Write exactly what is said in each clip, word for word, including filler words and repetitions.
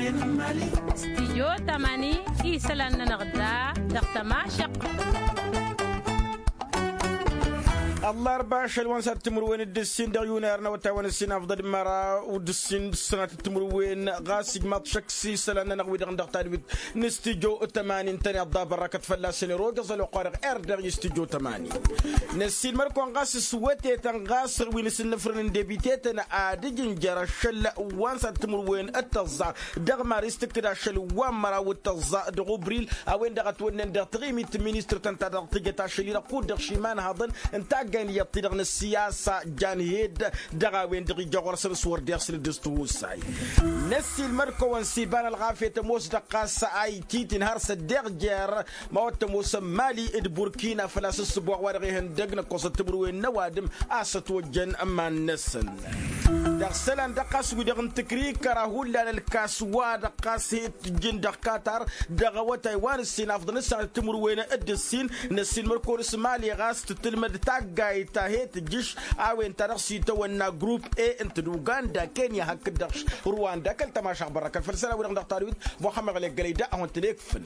Stijyo tămani isălan-nănăɣ da dăɣ-tămašăq. Ăllarba ašăl wa n-sat timǝrwen d-ǝssin dăɣ-yunar n-awătay wa n-ǝssin afḍăd măra d-ǝssin d-sănat timǝrwen ɣas ijmaḍ šăkk s-isălan-nănăɣ wi-dăɣ n-dăɣ tadwit n-stijyo tămani ǝntăneḍ da bărrăkăt fălla-săn eroge ăẓăl oqqa dăɣ-erdeɣ i-stijyo tămani. Năssiilmăr-kăwăn ɣas s-wătetăn ɣas wi n-asǝnnǝfrǝn n-debitetăn ad-ǝjǝnjăr ašăl wa n-sat timǝrwen d-tăẓẓa dăɣ-maris tǝkkǝd ašăl wa n-măraw d-tăẓẓa dăɣ-ubril a-wen-dăɣ ătwănnen dăɣ-taɣimit n-ministăr-tăn ta dăɣ-tǝjăt ašăl-i-dăɣ kud-dăɣ šiman haḍăn n-taggay n-iyyăḍ-ti-dăɣ n-ăssiyasa jan hed dăɣ-a-wen-dăɣ ija ɣur-săn s-wăr deɣ săn dd-s-tihusay. Năssiilmăd-kăwăn s-iba n-ălɣafyăt ămoos dăɣ-ɣas a ititi n-har s-ăddeɣ jer ma wăr t-ămoosăn mali d-burkina făl-a-s ǝssǝboɣ wa dăɣ-ihăndăg n-ăkkoẓăt timǝrwen n-ăwadǝm a-s ătwăjjăn iman-năsăn. Dăɣ-isălan dăɣ-ɣas wi-dăɣ n-tǝkrikăra hullan ălkas wa dăɣ-ɣas he-tǝjjǝn dăɣ-katar dăɣ-awătay wa n-ǝssin afḍăn ǝssanăt timǝrwen d-ǝssin. Năssiilmăd-kăwăn s-mali ɣas tǝtǝlmăd taggayt ta he-tǝjjǝš a-wen ta dăɣ-s itawănna grup e ǝnta d-uganda kenya hakd-dăɣ ruwanda kăl-tămašaɣ bărrăkăl făll-isălan-wi-dăɣ n-dăɣ-tadwit. Muxămmăd ɣălek gălăy da ad-hawăn-tăn-ekfǝl.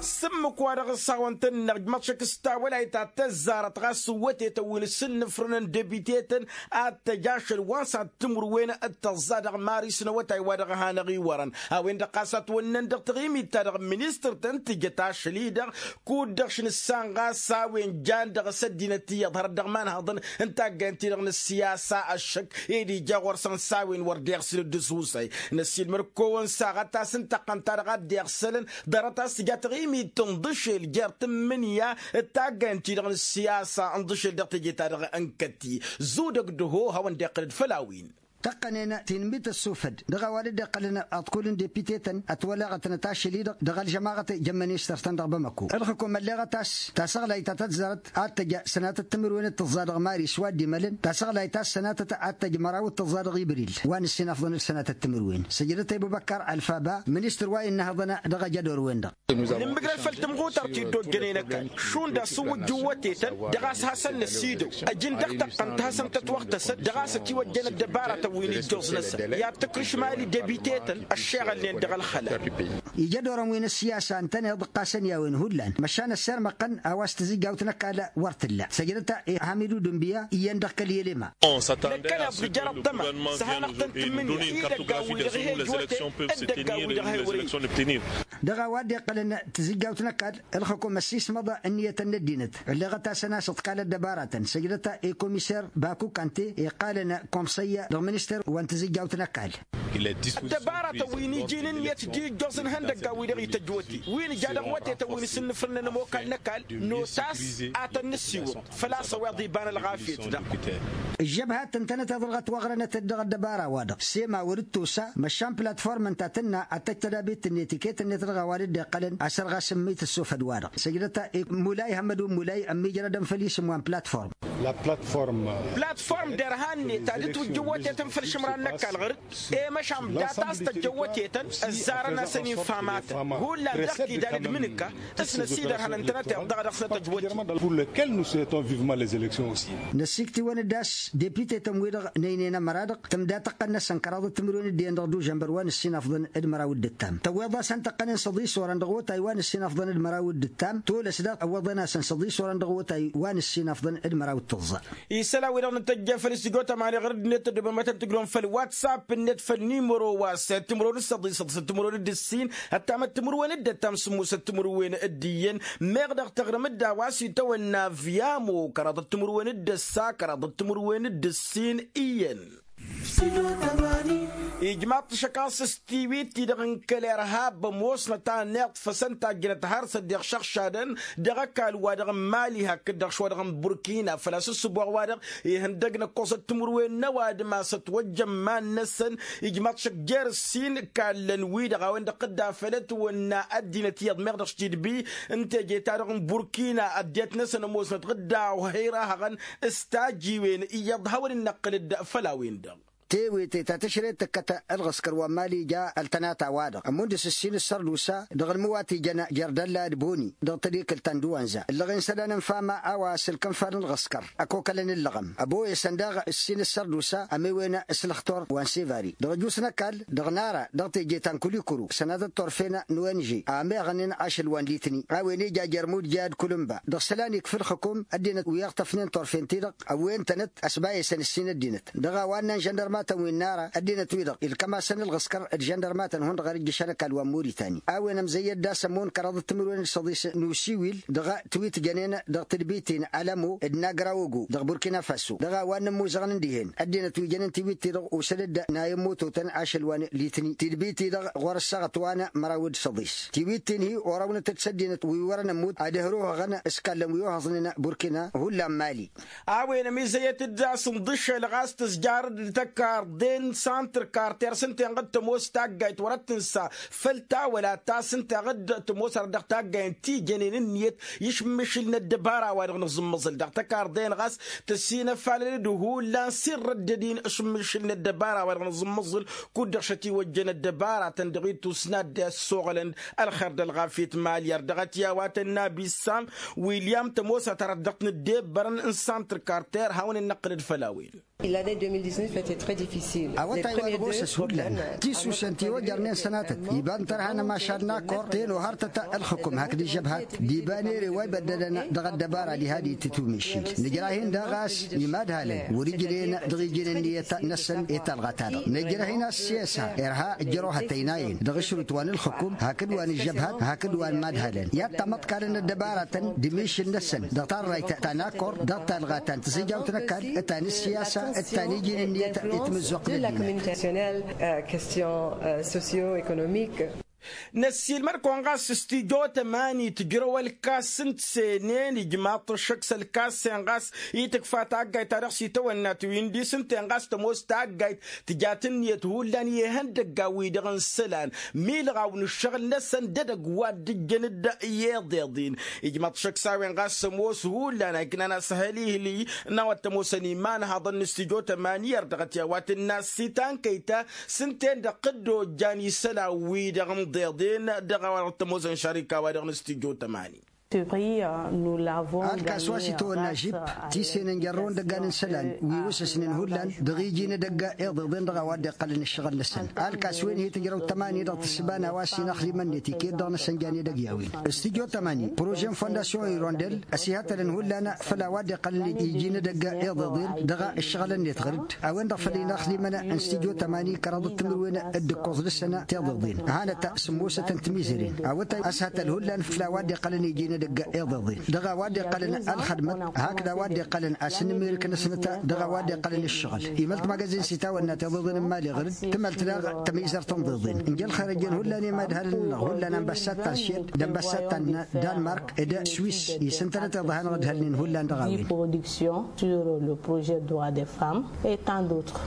S-ǝmmǝk wa dăɣ-s hawăn-tăn-năɣ ǝjmăḍ šăkk s-tawălayt ta tăzzarăt ɣas s-wătetăn wi n-asǝnnǝfrǝnăn debitetăn ad-tăj ašăl wa n-sat timǝrwen d-tăẓẓa dăɣ-maris n-awătay wa dăɣ-hanăɣ-iwărăn a-wen-dăɣ ɣas ătwănnăn dăɣ-taɣimit-ta-dăɣ n-ministăr-tăn tǝjăt ašăl-i-dăɣ kud-dăɣ š-nǝssan ɣas a-wen jan dăɣ-s ăddinăt iyyăḍ hărăt dăɣ-imanhăḍăn n-taggayăn-ti-dăɣ n-ăssiyasa ăššăk ed ija ɣur-săn s-a-wen wăr deɣ săn dd-ăssusay. Năssiilmăr-kăwăn saɣăt-as n-taqqăn-ta-dăɣ a dd-iɣsălăn ḍarăt-as tǝja taɣimit n-iḍǝšel jer-tǝmmǝnǝya d-taggayăn-ti-dăɣ n-ăssiyasa n-iḍǝšel dăɣ-teje-ta-dăɣ n-kătti. Zudăg d-ăho hawăn-dd-iqqǝl-dd făll-a-wen. Tăqqănen ti n-mit ăssufăd dăɣ-a-wa dd-iqqălăn aḍkul n-depitetăn ătwălăɣătnăt ašăl-i-dăɣ dăɣ-ălžămaɣăt jăn ministăr-tăn dăɣ-bamăko ǝlxǝkum ălleɣăt a-s tasăɣlayt ta tăzzarăt ad-tăj sănatăt timǝrwen d-tǝẓẓa dăɣ-mari s-wa dd-imălăn tasăɣlayt a-s sănatăt ad-tăj măraw d-tǝẓẓa dăɣ-ibril wa n-ǝssin afḍăn d-sănatăt timǝrwen săjdăt i-ăbubăkkar ălfaba ministăr wa innă hăḍăn dăɣ-ajădor-wen-dăɣ. Nǝmmǝgrăd făll-tǝmɣutăr ti dd-ojjănen ăkall šund a-s ǝwwǝjjǝw wătetăn dăɣ-a-s hasăn-năsidăw ăjǝn dăɣ-tăqqăn ta hasăn-tătwăɣtăsăt dăɣ-a-s ătiwăjjăn ăddăbarătăn wi n-ijjoẓ-năsăn i-ad-tǝkrǝš mali debitetăn ăššeɣălnen dăɣ-ălxăla. Ija ădorăn wi n-ăssiyasa ǝntăneḍ ǝqqasăn i-a-wen hullan măšan ăssirmăɣ-tăn a-wa s-tǝzijjawt n-ăkall wăr t-tǝlla săjdăt i-hamidu dunbiya iyyăn dăɣ-kăl-i ălema. Năkkăneḍ d-ijărăt tăma s-hanăɣ-tăn-tǝmmǝnǝya i-idăggan-wi-dăɣ he-ijwăten d-idăggan-wi-dăɣ he-wăr-iji. Dăɣ-a-wa dd-iqqălăn tǝzijjawt n-ăkall ǝlxǝkum ăssiismăḍ ǝnniyătăn n-ăddinăt ălleɣăt-asăn a-s ǝḍkal ăddăbaratăn săjdăt i-komiser baku kante iqqalăn komsăyya dăɣ-ministăr wa n-tǝzijjawt n-ăkall. Ăddăbaratăn wi n-iji n-ǝnniyăt d-ijjoẓ n-ihăndăggan-wi-dăɣ ităjj wăte wi n-ija dăɣ-wătetăn wi n-asǝnnǝfrǝnăn ămokal n-ăkall notas a tăn-nǝssiwǝḍ făl-a-s ăweḍ iba n-ălɣafyăt-dăɣ. Ǝžžăbhat ǝntănăt iḍǝlɣăt wa ăɣrănăt-dd dăɣ-ăddăbara-wa-dăɣ sema wăr-dd-tosa măšan platform ǝnta a tǝnna ad-tăj tădabit n-etiket-net dăɣ-a-wa dd-iqqălăn a-s ărɣas ǝmmǝyt ăssofăd-wa-dăɣ săjdăt i-mulay hămmăd wa n-mulay ămmijrădăn făll-isǝm wa n-platform. Platform derhan-net ad-dd-twǝjjǝw wătetăn făll-išǝmran n-ăkall ɣăr-dd i-măšan data a-s tăjjăn wătetăn ăzzarăn-asăn infamatăn hullan dăɣ-tidad d-imǝnǝka s-năsidărhăn ǝntănăteḍ dăɣ-dăɣ-snăt ăjwăt. Pour lesquels nous souhaitons vivement les élections aussi. Năssiktiwăn-dd a-s depitetăn-wi-dăɣ n-ăynăyăn ămăra-dăɣ tǝmda tăqqăn-năsăn kăraḍăt timǝrwen d-iyyăn dăɣ-dužănbăr wa n-ǝssin afḍăn d-măraw d-ǝttam tăwweḍ-asăn tăqqănen s-ăḍis orăn dăɣ-otay wa n-ǝssin afḍăn d-măraw d-ǝttam tolăs daɣ ăwweḍăn-asăn s-ăḍis orăn dăɣ-otay wa n-ǝssin afḍăn d-măraw d-tǝẓẓa. Isălan-wi-dăɣ n-tăjja făll-s tijo tămani ɣur-dd-net tăddobăm ad-tăn-tǝjrǝwăm făll-whatsapp-net făll-nimăro wa s-timǝrwen d-săḍisăḍ s-timǝrwen d-ǝssin ăttamăt timǝrwen d-ăttam sǝmmosăt timǝrwen d-iyyăn. Meɣ dăɣ-taɣrǝm-dd a-wa s-itawănna vyamo kăraḍăt timǝrwen d-ăssa kăraḍăt timǝrwen d-ǝssin iyyăn. Ijmaḍ-t šăkaẓ s-tiwit-ti-dăɣ n-kăl-irhab ămoosnăt a ănniḍfăsăn tajjănăt har s-ăddiɣšăɣšadăn dăɣ-ăkall-wa-dăɣ n-mali hakd-dăɣ šwa-dăɣ n-burkina făl-a-s ǝssǝboɣ-wa-dăɣ ihăndăg n-ăkkoẓăt timǝrwen n-ăwadǝm a-s ătwăjjăn iman-năsăn. Ijmaḍ-t šăk jer-ǝssin kallăn-wi-dăɣ a-wen-dăɣ dd-afăl ătwănna ăddinăt iyyăḍ meɣ dăɣ-s tidbi n-teje-ta-dăɣ n-burkina ăddinăt-năsăn ămoosnăt ɣǝdda a ohăyra hăɣăn s-tajiwen iyyăḍ hawăn-in-năqqǝl-dd făll-a-wen-dăɣ. Tewete ta tǝšret tǝkkăt ălɣǝskăr wa n-mali ja ăltănata-wa-dăɣ ămund s-ǝssin ǝssărdusa dăɣ-ălmǝwat ijăn jer-dălla d-boni dăɣ-tadikǝlt ta n-dăwanza ǝllăɣen isălan n-fama a-wa s-ǝlkǝnfa n-ălɣǝskăr ăkokălăn ǝllăɣăm ăboyăsăn daɣ ǝssin ǝssărdusa ămewen s-lăxtor wa n-sevari dăɣ-ăjus n-ăkall dăɣ-nara dăɣ-teje ta n-kulikuru sănatăt turfen n-ong a ămeɣnen ašăl wa n-litni a-wen ija jer-mudja d-kulǝmba dăɣ-isălan ikf ǝlxǝkum ăddinăt wi ăɣtăfnen turfen-ti-dăɣ ăwwen-tănăt ăsbayăsăn ǝssin ăddinăt dăɣ-a-wa ǝnnan žăndărmatăn wi n-nara ăddinăt-wi-dăɣ ilkăm-asăn ălɣǝskăr d-žăndărmatăn hundăɣ ărǝjjǝšăn ăkall wa n-muritani a-wen ămzăyyăt d-asămmun kăraḍăt timǝrwen d-săḍis n-usiwil dăɣ-tiwit jănen dăɣ-tǝdbit-in alămo d-nagrawogo dăɣ-burkina faso dăɣ-a-wa n-ămmuzăɣăn dihen ăddinăt wi jănen tiwit-ti-dăɣ osăd-dd n-a i-ămmototăn ašăl wa n-litni tǝdbit-i-dăɣ ɣur-ăssaɣăt wa n-măraw d-săḍis tiwit-in-hi orăwnăt-dd s-ăddinăt wi wărăn ămmut ad-ǝhrǝhăɣăn s-kallăn wi ohăẓnen burkina hullan mali. A-wen ămizăyăt-dd a-s ǝnḍǝšel ɣas tǝzjarăd d-tăkarḍen santr karter s-ǝnta enɣăd tămoos taggayt wărăt tǝnsa făll-tawăla ta s-ǝnta enɣăd tămoos arăt dăɣ-taggayen ti jănen ǝnniyăt i-išǝmmišǝl n-ăddăbara wa dăɣ-nǝẓǝmmăẓǝl dăɣ-tăkarḍen ɣas tăsinăfalăl-dd hullan s-irrăddăd-in ašǝmmišǝl n-ăddăbara wa dăɣ-nǝẓǝmmăẓǝl kud-dăɣ šătiwăjjăn ăddăbara-tăn dăɣ-ittus n-ad-dd-e ăssoɣălăn ălxer d-ălɣafyăt malyăr dăɣ-ătya wa tănna bissam william tămoosăt arăt dăɣ-t nǝddebbărăn n-santr karter hawăn-in-năqqǝlăd făll-a-wen. Awătay wa dăɣ-osăs hullan tisusen ti ojărnen sănatăt iba n-tărha n-ămašad n-akor tenohartăt ălxǝkum hakd ǝžžăbhat d-iba n-ere wa ibăddălăn dăɣ-ăddăbara diha d-itǝtumišil nǝjrah-in daɣ a-s imadhalăn wăr-ijnen dăɣ-iji n-ǝnniyăt-năsăn i-talɣa-ta-dăɣ nǝjrah-in a-s s-iyasa irha ǝjrăw hătăynayen dăɣ-ašrut wa n-ǝlxǝkum hakd wa n-ǝžžăbhat hakd wa n-imadhalăn i-ad-tamăḍkalăn ăddăbaratăn d-amišǝl-năsăn dăɣ-tarrayt ta n-akor dăɣ-talɣa ta n-tizǝjjawt n-ăkall ta n-ǝssiyasa d-ta n-iji n-ǝnniyăt i-tamǝzzuɣt n-ăddinăt. Question socio-économique. Năssiilmăd-kăwăn ɣas s-tijo tămani tǝjrăw ălkas n-tisenen ijmaḍ-t ăššăk s-ălkas-en ɣas i-tǝkfa taggayt ta dăɣ-s itawănna tiwǝyǝn d-isǝnten ɣas tămoos taggayt tǝjat ǝnniyăt hullan i-ihăndăggan-wi-dăɣ n-isălan milɣaw n-ǝššăɣǝl-năsăn d-edăgg wa dd-ǝjjăn-dd i-iḍeḍ-in. Ijmaḍ-t šăkk s-a-wen ɣas ămoos hullan a iknan asăhăl ihli n-a-wa t-ămoosăn imanhaḍăn n-stijo tămani ărdăɣăt i-a-wa t-ǝnna s-itankăy ta s-ǝnta-en-dăɣ dd-ojjan isălan-wi-dăɣ n-iḍeḍen dăɣ-a-wa dăɣ-t-ămoosăn šarika-wa-dăɣ n-stijo tămani. Alkas wa s-itawănna žip ti senăn jărrăwăn dăggan n-isălan wi osăsnen hullan dăɣ-iji n-edăgg iḍeḍen dăɣ-a-wa dd-iqqălăn ǝššăɣǝl-năsăn alkas-wen hi-tǝjrăw tămani dăɣ-tǝssǝba n-a-wa s-inăxli mănnet iket dăɣ-năsăn jan edăgg i-a-wen stijo tămani prože n-fondasyon irondel ăsihătălăn hullan făll-a-wa dd-iqqălăn iji n-edăgg iḍeḍen dăɣ-ǝššăɣǝl-net ɣăr-dd a-wen-dăɣ făl inăxlimăn n-stijo tămani kăraḍăt timǝrwen d-ǝkkoẓ dăɣ-săn tiḍeḍen hanăt sǝmmosăt n-timizăren awătay ăshătăl hullan făll-a-wa dd-iqqălăn iji n-edăgg iḍeḍen dăɣ-a-wa dd-iqqălăn ălxădmăt hakd a-wa dd-iqqălăn asǝnnǝmirǝk-năsnăt dăɣ-a-wa dd-iqqălăn ǝššăɣǝl imălt magazin s-itawănna tiḍeḍen n-imali ɣăr-dd tǝmălt daɣ tămizărt n-iḍeḍen. Ǝnjăl xărăjăn hullan imadhalăn-nănăɣ hullan ănbăssat ta n-šed d-ănbăssat ta n-danmark d-swis isǝntănăt iḍa hanăɣ-ǝdhălnen hullan dăɣ-a-wen. Production sur le projet droit des femmes et tant d'autres.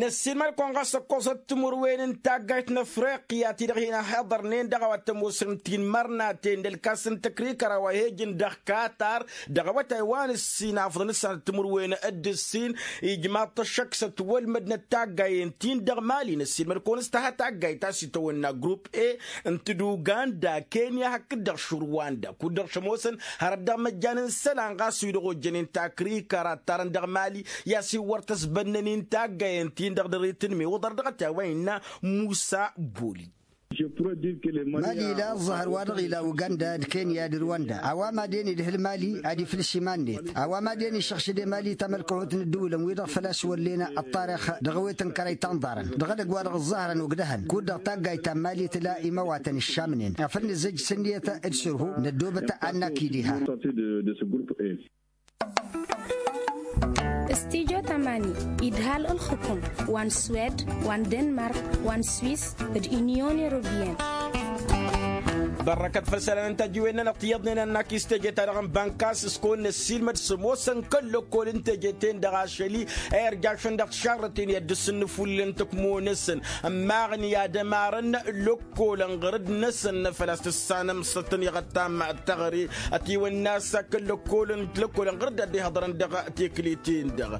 Năssiilmăd-kăwăn ɣas ăkkoẓăt timǝrwen n-taggayt n-afriqya ti-dăɣ hin-ăhiḍărnen dăɣ-a-wa t-ămoosăn tinmărnaten d-ălkas n-tăkrikăra wa he-ǝjǝn dăɣ-katar dăɣ-awătay wa n-ǝssin afḍăn ǝssanăt timǝrwen d-ǝssin. Ijmaḍ-t ăššăk s-ătwălmădnăt taggayen-tin dăɣ-mali năssiilmăd-kăwăn s-tăha taggayt ta s-itawănna grupp e n-tǝduganda kenya hakd-dăɣ šurwanda kud-dăɣ šămoosăn hărăt dăɣ-măjjan n-isălan ɣas wi-dăɣ ojjănen takrikăra ăttarăn dăɣ-mali i-a-s iwwăr tăsbănna-nin taggayen-tin-dăɣ dăr-itǝnme oḍăr dăɣ-t i-a-wa innă musa boli. Mali ila ăẓẓăhăr wa dăɣ-ila uganda d-kenya d-rwanda a-wa madăn idhǝl mali ad-iflǝs iman-net a-wa madăn išăɣšǝd i-mali tamălkăhut n-ǝddǝwǝlăn wi-dăɣ făl-a-s wăllena ăṭṭarix dăɣ-ewet n-kărăy ta n-iḍarăn dăɣ-edăgg wa dăɣ-ǝẓẓăhrăn ogdăhăn kud-dăɣ taggayt ta n-mali tǝla imawatăn ǝššamnen afăl nǝzzăj s-ǝnniyăt d-sǝrhu năddoobăt ad-nakǝy diha. Stijo tămani idhal ǝlxǝkǝm wa n-swed wa n-denmark wa n-swis d-inyon europeyăn. Bărrăkăt făll-isălan n-tajiwen-nănăɣ ti iyyăḍnen annak-i s-teje-ta-dăɣ n-bankas s-kăwăn-năssiilmăd s-ămoosăn kăl-lăkkol n-teje-ten-dăɣ ašăl-i a irjašăn dăɣ-tišarrăten i-ad-dăr-săn n-ifullǝlăn n-tǝkmo-năsăn ămmaɣăn i-ad-ămarăn lăkkolăn ɣur-dd-năsăn făl-a-s tǝssanăm s-tăn-iɣăttam. Tăɣre ătiwănna a-s kăl-lăkkolăn lăkkolăn ɣur-dd a dd-ihăḍrăn dăɣ-tekle-ten-dăɣ.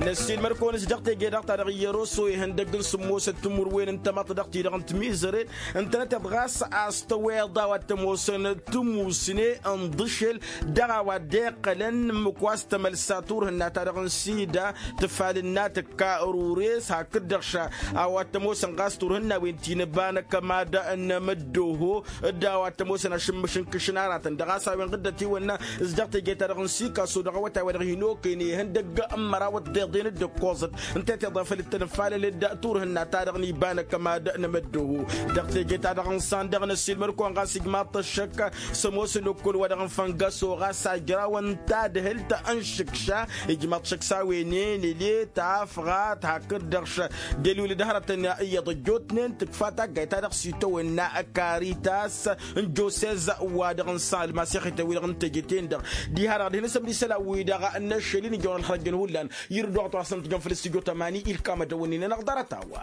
Năssiilmăd-kăwăn-s dăɣ-teje-dăɣ-ta-dăɣ iyyăr-oso ihăndăgg n-sǝmmosăt timǝrwen n-tamăḍt dăɣ-ti-dăɣ n-timizăren ǝntănăteḍ ɣas a-s tăweḍ a-wa t-ămoosăn timusne n-iḍǝšel dăɣ-a-wa dd-iqqălăn ǝmmǝk wa s-tămălsa turhǝnna-ta-dăɣ n-sida tǝfalǝnna tǝkka ărures hakd-dăɣ ša a-wa t-ămoosăn ɣas turhǝnna-wen ti n-ăbanăkămad n-amǝddoho d-a-wa t-ămoosăn ašǝmmǝš n-kǝšǝn aratăn-dăɣ a-s a-wen ɣǝddăt iwănna s-dăɣ teje-ta-dăɣ n-sikaso dăɣ-awătay-wa-dăɣ hin-okăyăn ihăndăgg n-măraw ăṭṭeḍen d-ǝkkoẓăt ǝnta i-tiḍa făll-dd-tănfalăl-dd turhǝnna-ta-dăɣ n-iba n-ăkămad n-amăddoho. Dăɣ-teje-ta-dăɣ n-iṣan dăɣ-năssiilmăd-kăwăn ɣas ijmaḍ-t ăššăk s-ămoos ălokkol-wa-dăɣ n-făngăso ɣas ajraw n-tadhǝlt n-išǝkša ijmaḍ-t šăkk s-a-wen enele tafɣat hakd-dăɣ d-elwǝlǝd hărătăn iyyăḍ ăjjootnen tǝkfa taggayt-ta-dăɣ s-itawănna karitas n-josez wa-dăɣ n-san ălmasixit-wi-dăɣ n-teje-ten-dăɣ diha-dăɣ d-hin-asămd isălan-wi-dăɣ n-ašăl-in ijăwăn ălxărăjjăn hullan. Irǝddoɣăt wa s-ăntǝjăn făll-stujo tămani ilkam ad-dăwănnin-anăɣ ḍarăt-a-wa.